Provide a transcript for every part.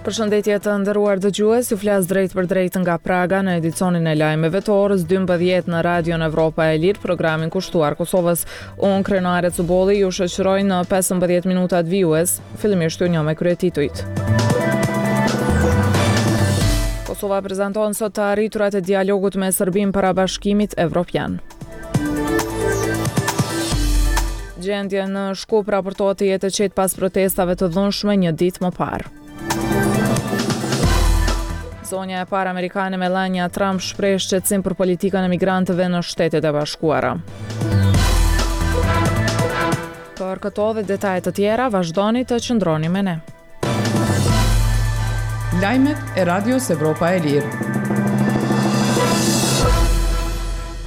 Përshëndetje të nderuar dëgjues, ju flas drejtpërdrejt nga Praga në edicionin e lajmeve të orës 12 në Radion Evropa e Lirë, programin kushtuar Kosovës. Unë Krenare Cubolli ju shoqëroj në 15 minutat vijues, fillimisht ju njoh me kryetitujt. Kosova prezanton sot të arriturat e dialogut me Serbinë para Bashkimit Evropian. Gjendja në Shkup raportohet të jetë e qetë pas protestave të dhunshme një ditë më parë. Zonja e parë amerikane Melania Trump shpreh shqetësim për politikën e migrantëve në Shtetet e Bashkuara. Për këto dhe detaje të tjera, vazhdoni të qëndroni me ne. Lajmet e Radios Evropa e Lirë.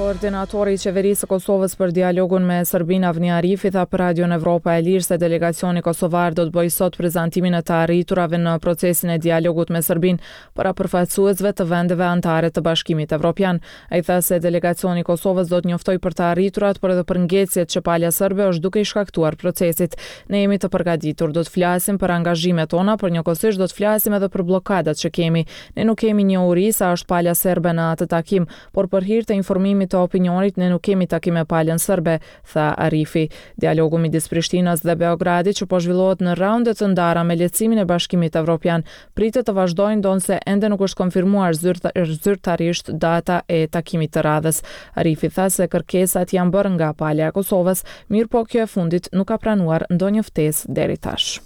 Koordinatori i Qeverisë së Kosovës për dialogun me Serbinë Avni Arifi tha për Radion Evropa e Lirë se delegacioni kosovar do të bëjë sot prezantimin e të arriturave në procesin e dialogut me Serbinë para përfaqësuesve të vendeve anëtare të Bashkimit Evropian. Ai tha se delegacioni i Kosovës do të njoftojë për të arriturat, por edhe për ngecjet që pala serbe është duke i shkaktuar procesit. Ne jemi të përgatitur, do të flasim për angazhimet tona, por njëkohësisht do të flasim edhe për bllokadat që kemi. Ne nuk kemi njohuri sa është pala serbe në atë takim, por për hir të informimit të opinionit ne nuk kemi takim me palën serbe, tha Arifi. Dialogu midis Prishtinës dhe Beogradit që po zhvillohet në raunde të ndara me lehtësimin e Bashkimit Evropian, pritet të vazhdojë ndonëse ende nuk është konfirmuar zyrtarisht data e takimit të radhës. Arifi tha se kërkesat janë bërë nga pala e Kosovës, mirëpo kjo e fundit nuk ka pranuar ndonjë ftesë deri tash.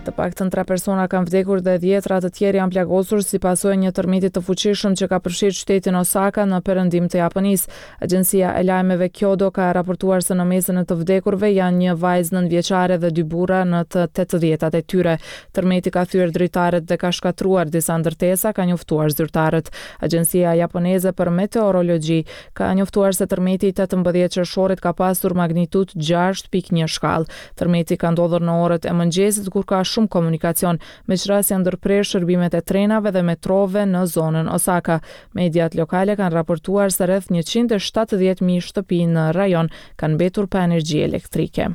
Të paktën tre persona kanë vdekur dhe dhjetëra të tjerë janë plagosur si pasojë e një tërmeti të fuqishëm që ka përfshirë qytetin Osaka në perëndim të Japonisë. Agjencia e lajmeve Kyodo ka raportuar se në mesin e të vdekurve janë një vajzë nëntëvjeçare dhe dy burra në të tetëdhjetat e tyre. Tërmeti ka thyer dritaret dhe ka shkatërruar disa ndërtesa, kanë njoftuar zyrtarët. Agjencia japoneze për meteorologji ka njoftuar se tërmeti i 18 qershorit ka pasur magnitudë 6.1 shkallë. Tërmeti ka ndodhur në orët e mëngjesit kur ka shumë komunikacion, me ç'rast janë ndërprerë shërbimet e trenave dhe metrove në zonën Osaka. Mediat lokale kanë raportuar se rreth 170.000 shtëpi në rajon kanë mbetur pa energji elektrike.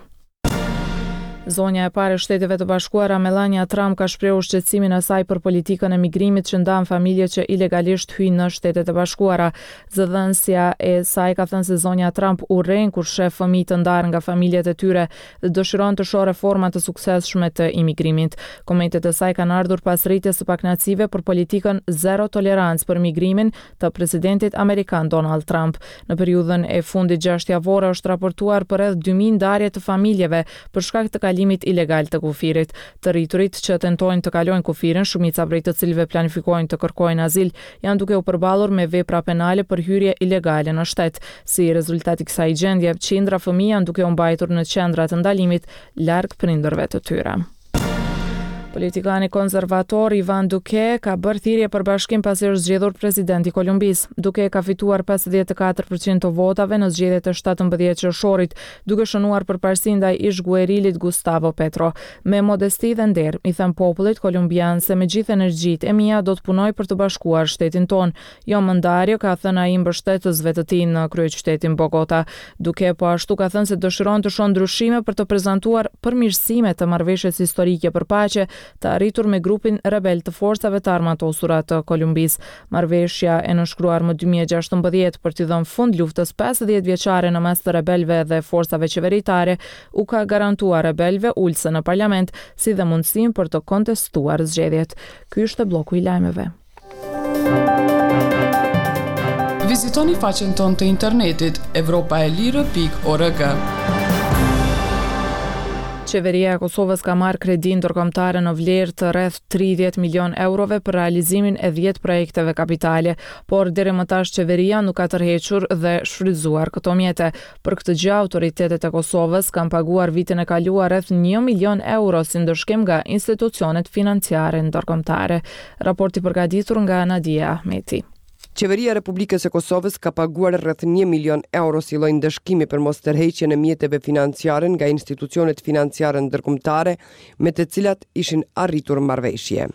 Zonja e parë e Shteteve të Bashkuara, Melania Trump ka shprehur shqetësimin e saj për politikën e migrimit që ndan familje që ilegalisht hyjnë në Shtetet e Bashkuara. Zëdhënësja e saj ka thënë se zonja Trump urren kur sheh fëmijë të ndarë nga familjet e tyre dhe dëshiron të shohë reforma të suksesshme të imigrimit. Komentet e saj kanë ardhur pas rritjes së pakënaqësive për politikën zero tolerancë për migrimin të presidentit amerikan Donald Trump. Në periudhën e fundit gjashtëjavore është raportuar për rreth 2000 ndarje të familjeve për shkak të kalimit ilegal të kufirit. Të rriturit që tentojnë të kalojnë kufirin, shumica prej të cilëve planifikojnë të kërkojnë azil, janë duke u përballur me vepra penale për hyrje ilegale në shtet. Si rezultat i kësaj gjendje, qindra fëmijë janë duke u mbajtur në qendra të ndalimit larg prindërve të tyre. Politikani konservator Ivan Duque ka bërë thirrje për bashkim pasi është zgjedhur president i Kolumbisë. Duque ka fituar 54% të votave në zgjedhjet e 17 qershorit, duke shënuar përparësi ndaj ish-guerilit Gustavo Petro. Me modesti dhe nder, i them popullit kolumbian se me gjithë energjitë e mia do të punoj për të bashkuar shtetin tonë. Jo më ndarje, ka thënë ai mbështetësve të tij në kryeqytetin Bogota. Duque po ashtu ka thënë se dëshiron të shohë ndryshime për të prezantuar përmirësime të marrëveshjes historike për paqe të arritur me grupin rebel të Forcave të Armatosura të Kolumbisë. Marrëveshja e nënshkruar më 2016 për t'i dhënë fund luftës 50 vjeçare në mes të rebelëve dhe forcave qeveritare u ka garantuar rebelëve ulëse në parlament, si dhe mundësinë për të kontestuar zgjedhjet. Ky ishte blloku i lajmeve. Vizitoni faqen tonë të internetit evropaelire.org. Qeveria e Kosovës ka marrë kredi ndërkombëtare në vlerë të rreth 30 milion eurove për realizimin e 10 projekteve kapitale, por deri më tash qeveria nuk ka tërhequr dhe shfrytëzuar këto mjete. Për këtë gjë autoritetet e Kosovës kanë paguar vitin e kaluar rreth një milion euro si ndëshkim nga institucionet financiare ndërkombëtare. Raport i përgatitur nga Nadie Ahmeti. Qeveria e Republikës së Kosovës ka paguar rreth një milion euro si lloj ndëshkimi për mostërheqjen e mjeteve financiare nga institucionet financiare ndërkombëtare me të cilat ishin arritur marrëveshje.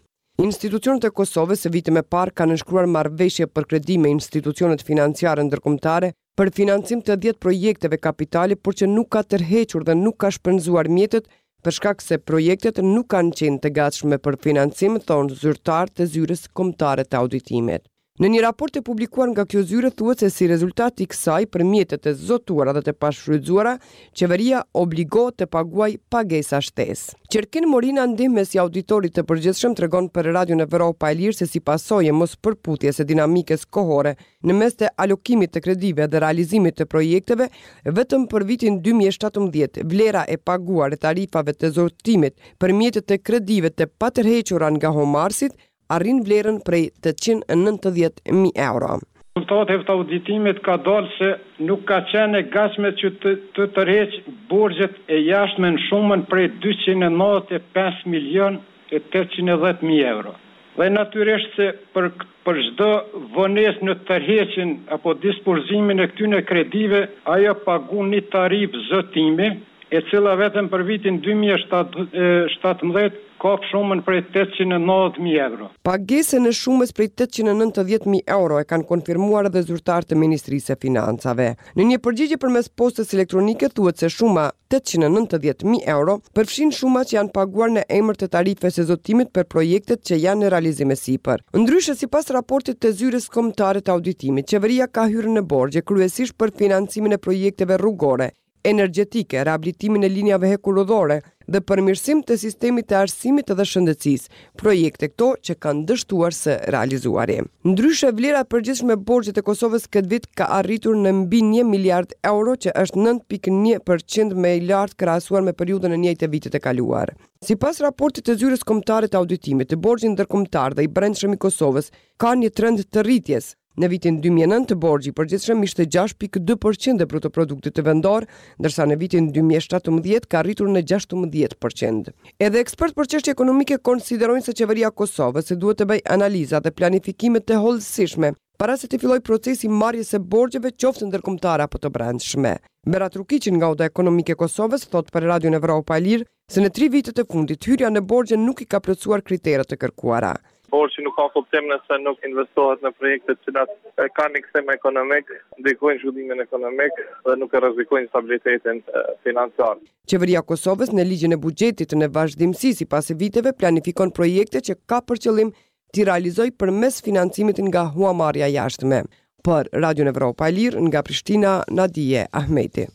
Institucionet e Kosovës vite më parë kanë nënshkruar marrëveshje për kredi me institucionet financiare ndërkombëtare për financim të dhjetë projekteve kapitale, por që nuk ka tërhequr dhe nuk ka shpenzuar mjetet. Për shkak se projektet nuk kanë qenë të gatshme për financim, thonë zyrtarë të Zyrës Kombëtare të Auditimit. Në një raport të publikuar nga kjo zyre thuhet se si rezultat i kësaj për mjetet e zotuara dhe të pashfrytëzuara, qeveria obligohet të paguajë pagesa shtesë. Qerkin Morina, ndihmës i Auditorit të Përgjithshëm tregon për Radion Evropa e Lirë se si pasojë e mospërputhjes së dinamikës kohore në mes të alokimit të kredive dhe realizimit të projekteve, vetëm për vitin 2017 vlera e paguar e tarifave të zotimit për mjetet e kredive të patërhequra nga huamarrësit arrin vlerën prej 890.000 euro. Rezultateve të auditimit ka dalë se nuk ka qenë e gatshme që të të tërheqë borxhet e jashtme në shumën prej 295 milionë e 810 mijë euro. Dhe natyrisht se për për çdo vonesë në tërheqjen apo disbursimin e këtyre kredive, ajo paguan një tarifë zotimi, e cila vetëm për vitin 2017 kap shumën prej 890.000 euro. Pagesën e shumës prej 890.000 euro e kanë konfirmuar edhe zyrtarë të Ministrisë së Financave. Në një përgjigje përmes postës elektronike thuhet se shuma 890.000 euro përfshin shuma që janë paguar në emër të tarifës së zotimit për projektet që janë në realizim e sipër. Ndryshe, sipas raportit të Zyrës Kombëtare të Auditimit, qeveria ka hyrë në borxhe kryesisht për financimin e projekteve rrugore, energjetike, rehabilitimin e linjave hekurudhore dhe përmirësim të sistemit të arsimit dhe shëndetësisë, projekte këto që kanë dështuar së realizuari. Ndryshe, vlera e përgjithshme e borxhit të Kosovës këtë vit ka arritur në mbi 1 miliard euro, që është 9.1% më i lartë krahasuar me periudhën e njëjtë të vitit të kaluar. Sipas raportit të Zyrës Kombëtare të Auditimit, borxhi ndërkombëtar dhe i brendshëm i Kosovës ka një trend të rritjes. Në vitin 2009 borxhi i përgjithshëm ishte 6.2% e bruto produktit të vendor, ndërsa në vitin 2017 ka arritur në 16%. Edhe ekspert për çështje ekonomike konsiderojnë se qeveria e Kosovës se duhet të bëjë analiza dhe planifikime të hollësishme para se të fillojë procesi i marrjes së borxheve qoftë ndërkombëtare apo të brendshme. Berat Rukiqi nga Oda Ekonomike e Kosovës thotë për Radion Evropa e Lirë se në tri vitet e fundit hyrja në borxhe nuk i ka plotësuar kriteret e kërkuara. Borxhi nuk ka kuptim nëse nuk investohet në projekte të cilat kanë një kthim ekonomik, ndikojnë zhvillimin ekonomik dhe nuk e rrezikojnë stabilitetin financiar. Qeveria e Kosovës në ligjin e buxhetit në vazhdimësi sipas viteve planifikon projekte që ka për qëllim t'i realizoj përmes financimit nga huamarrja jashtme. Për Radion Evropa e Lirë nga Prishtina, Nadije Ahmeti.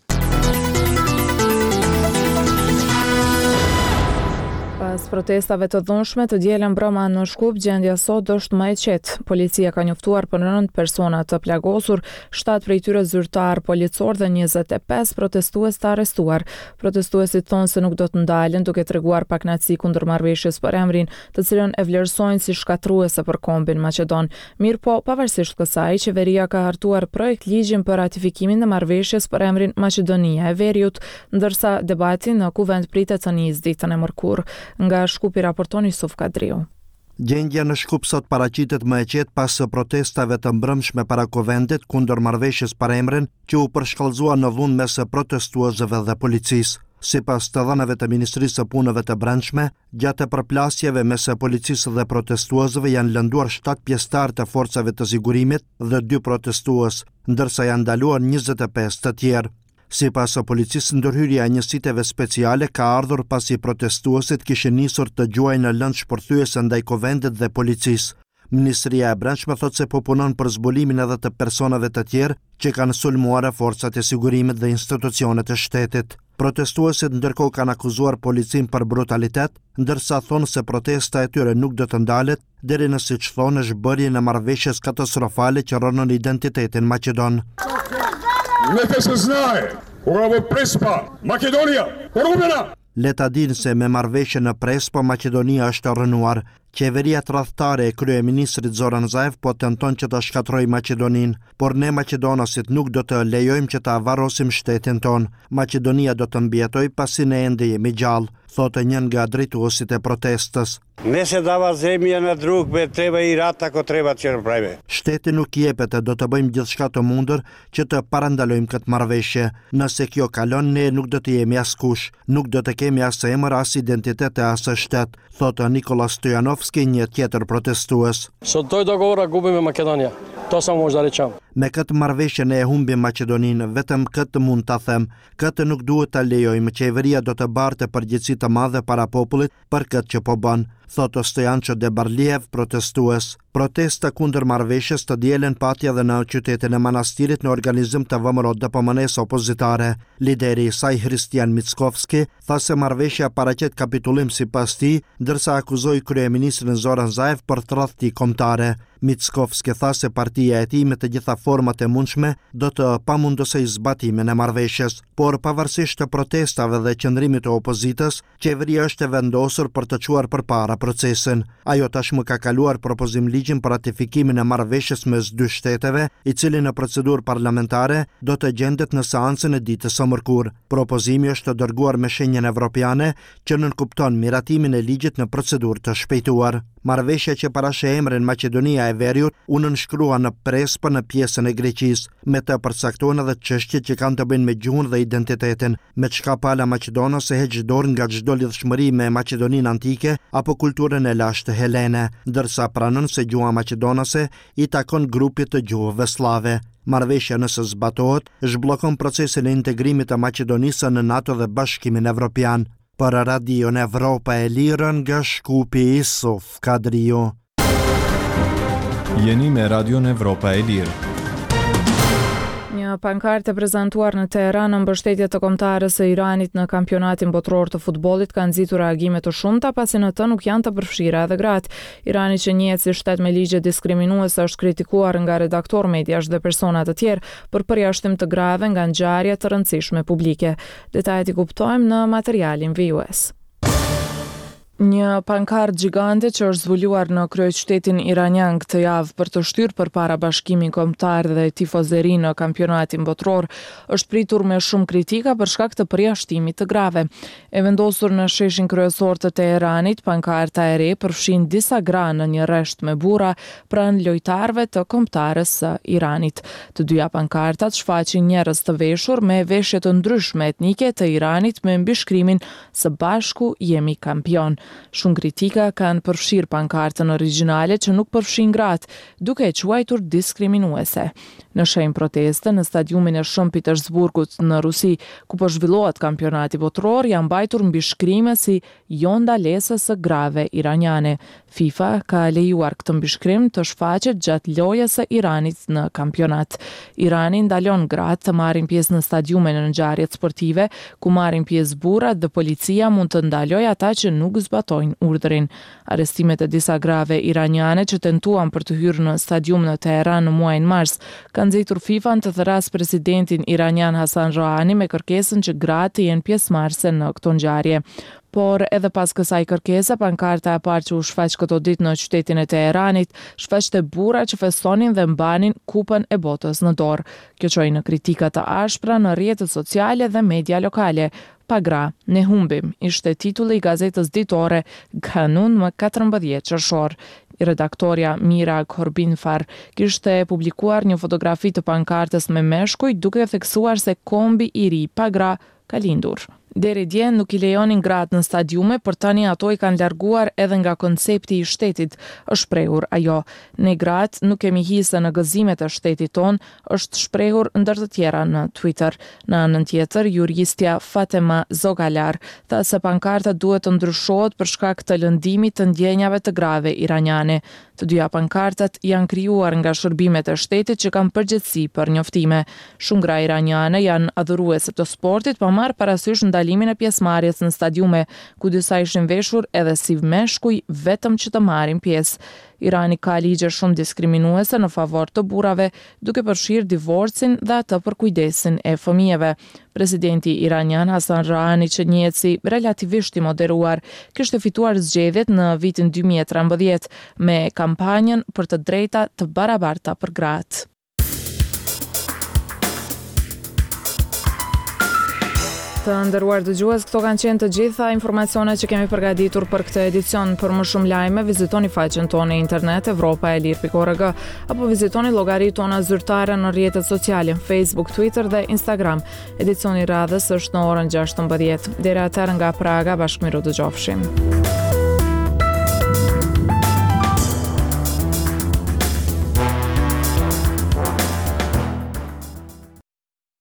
Pas protestave të dhunshme të dielën mbrëma në Shkup, gjendja sot është më e qetë. Policia ka njoftuar për 9 persona të plagosur, 7 prej tyre zyrtar policor dhe 25 protestues të arrestuar. Protestuesit thonë se nuk do të ndalen duke treguar pakënaqësi kundër marrëveshjes për emrin, të cilën e vlerësojnë si shkatërruese për kombin maqedon. Mirëpo, pavarësisht kësaj, qeveria ka hartuar projekt ligjin për ratifikimin e marrëveshjes për emrin Maqedonia e Veriut, ndërsa debati në kuvend pritet të nisë ditën e mërkurë. Nga Shkupi raporton Isuf Kadriu. Gjendja në Shkup sot paraqitet më e qetë pas protestave të mbrëmshme para kuvendit kundër marrëveshjes për emrin që u përshkallëzua në dhunë mes protestuesve dhe policisë. Sipas të dhënave të Ministrisë së Punëve të Brendshme, Gjatë përplasjeve mes policisë dhe protestuesve janë lënduar 7 pjesëtarë të forcave të sigurimit dhe 2 protestues, ndërsa janë ndaluar 25 të tjerë. Sipas policisë, ndërhyrja e njësiteve speciale ka ardhur pasi protestuesit kishin nisur të gjuajnë lëndë shpërthyese ndaj kuvendit dhe policisë. Ministria e Brendshme thotë se po punon për zbulimin edhe të personave të tjerë që kanë sulmuar forcat e sigurimit dhe institucionet e shtetit. Protestuesit ndërkohë kanë akuzuar policinë për brutalitet, ndërsa thonë se protesta e tyre nuk do të ndalet deri në siç thonë zhbërjen e marrëveshjes katastrofale që rrënon identitetin maqedon. Neka se знае, кога во Преспа, Македонија, порубена! Le ta dinë se me marrëveshjen në Prespa Maqedonia është rrënuar. Qeveria tradhtare e kryeministrit Zoran Zaev po tenton që ta shkatërrojë Maqedoninë, por ne maqedonasit nuk do të lejojmë që ta varrosim shtetin tonë. Maqedonia do të mbijetojë pasi ne ende jemi gjallë, thotë një nga drejtuesit e protestës. Ne se dava zemja na drug, be treba i rat ako treba që napravime. Shteti nuk jepet e do të bëjmë gjithçka të mundur që të parandalojmë këtë marrëveshje. Nëse kjo kalon, ne nuk do të jemi askush, nuk do të kemi as emër, as identitet e as shtet, thotë Nikola Stojanovski, një tjetër protestues. Со тој договор губиме Македонија. Тоа само може да речам. Me këtë marrëveshje ne e humbim Maqedoninë, vetëm këtë mund ta them. Këtë nuk duhet ta lejojmë, qeveria do të bartë përgjegjësi të madhe para popullit për këtë që po bën, thotë Stojanço Debarliev, protestues. Protesta kundër marrëveshjes të dielën pati edhe në qytetin e Manastirit në organizim të VMRO-DPMNE-së opozitare. Lideri i saj Hristijan Mickoski tha se marrëveshja paraqet kapitullim sipas tij, ndërsa akuzoi kryeministrin Zoran Zaev për tradhti kombëtare. Mickoski tha se partia e tij me të gjitha format e mundshme do të pamundësojë zbatimin e marrëveshjes. Por pavarësisht të protestave dhe qëndrimit të opozitës, qeveria është e vendosur për të çuar përpara procesin. Ajo tashmë ka kaluar propozim-ligjin për ratifikimin e marrëveshjes mes dy shteteve, i cili në procedurë parlamentare do të gjendet në seancën e ditës së mërkurë. Propozimi është dërguar me shenjën evropiane, që nënkupton miratimin e ligjit në procedurë të shpejtuar. Marrëveshja që parasheh emrin Maqedonia e Veriut u nënshkrua në Prespë në pjesën e Greqisë. Me të përcaktohen edhe çështjet që kanë të bëjnë me gjuhën dhe identitetin, me çka pala maqedonase heq dorë nga çdo lidhshmëri me Maqedoninë antike apo kulturën e lashtë helene, ndërsa pranon se gjuha maqedonase i takon grupit të gjuhëve sllave. Marrëveshja nëse zbatohet, zhbllokon procesin e integrimit të Maqedonisë në NATO dhe Bashkimin Evropian. Për Radion Evropa e Lirë nga Shkupi, Isuf Kadriu. Jeni me Radion Evropa e Lirë. Një pankartë e prezantuar në Teheran në mbështetje të kombëtares së Iranit në kampionatin botëror të futbollit ka nxitur reagime të shumta pasi në të nuk janë të përfshira edhe gratë. Irani që njihet si shtet me ligje diskriminuese është kritikuar nga redaktorë mediash dhe persona të tjerë për përjashtim të grave nga ngjarje të rëndësishme publike. Detajet i kuptojmë në materialin vijues. Një pankartë gjigante që është zbuluar në kryeqytetin iranian këtë javë për të shtyrë përpara bashkimin kombëtar dhe tifozerinë në kampionatin botëror, është pritur me shumë kritika për shkak të përjashtimit të grave. E vendosur në sheshin kryesor të Teheranit, pankarta e re përfshin disa gra në një rresht me burra pranë lojtarëve të kombëtares së Iranit. Të dyja pankartat shfaqin njerëz të veshur me veshje të ndryshme etnike të Iranit me mbishkrimin Së bashku jemi kampionë. Shumë kritika kanë përfshirë pankartën origjinale që nuk përfshin gratë, duke e quajtur diskriminuese. Në shenjë proteste, në stadiumin e Shën Petersburgut në Rusi, ku po zhvillohet kampionati botëror, janë mbajtur mbishkrime si Jo ndalesës së grave iraniane. FIFA ka lejuar këtë mbishkrim të shfaqet gjatë lojës së Iranit në kampionat. Irani ndalon gratë të marrin pjesë në stadiume në ngjarjet sportive, ku marrin pjesë burrat dhe policia mund të ndalojë ata që nuk zbatojnë urdhrin. Arrestimet e disa grave iraniane që tentuan për të hyrë në stadium në Teheran në muajin mars, kanë nxitur FIFA-n të thërrasë presidentin iranian Hassan Rouhani me kërkesën që gratë të jenë pjesëmarrëse në këto ngjarje. Por, edhe pas kësaj kërkese, pankarta e parë që u shfaq këto ditë në qytetin e Teheranit, shfaqte burra që festonin dhe mbanin Kupën e Botës në dorë. Kjo çoi në kritika të ashpra në rrjetet sociale dhe media lokale, Pa gra, ne humbim, ishte titulli i gazetës ditore Ghanun më 14 qershor. Redaktorja Mira Ghorbanifar kishte publikuar një fotografi të pankartës me meshkuj duke theksuar se kombi i ri pa gra ka lindur. Deri dje nuk i lejonin gratë në stadiume, por tani ato i kanë larguar edhe nga koncepti i shtetit, është shprehur ajo. Ne gratë nuk kemi hise në gëzimet e shtetit tonë, është shprehur ndër të tjera në Twitter. Në anën tjetër, juristja Fatema Zoghalar tha se pankarta duhet të ndryshohet për shkak të lëndimit të ndjenjave të grave iraniane. Të dyja pankartat janë krijuar nga shërbimet e shtetit që kanë përgjegjësi për njoftime. Shumë gra iraniane janë adhuruese të sportit pa marrë parasysh ndalimin e pjesëmarrjes në stadiume, ku disa ishin veshur edhe si meshkuj vetëm që të marrin pjesë. Irani ka ligje shumë diskriminuese në favor të burrave, duke përfshirë divorcin dhe atë për kujdesin e fëmijëve. Presidenti iranian Hassan Rouhani, që njihet si relativisht i moderuar, kishte fituar zgjedhjet në vitin 2013 me kampanjën për të drejta të barabarta për gratë. Të nderuar dëgjues, këto kanë qenë të gjitha informacionet që kemi përgatitur për këtë edicion. Për më shumë lajme, vizitoni faqen tonë në internet evropaelire.org apo vizitoni llogaritë tona zyrtare në rrjetet sociale, Facebook, Twitter dhe Instagram. Edicioni i radhës është në orën 16. Deri atëherë nga Praga, bashkë mirudëgjofshim.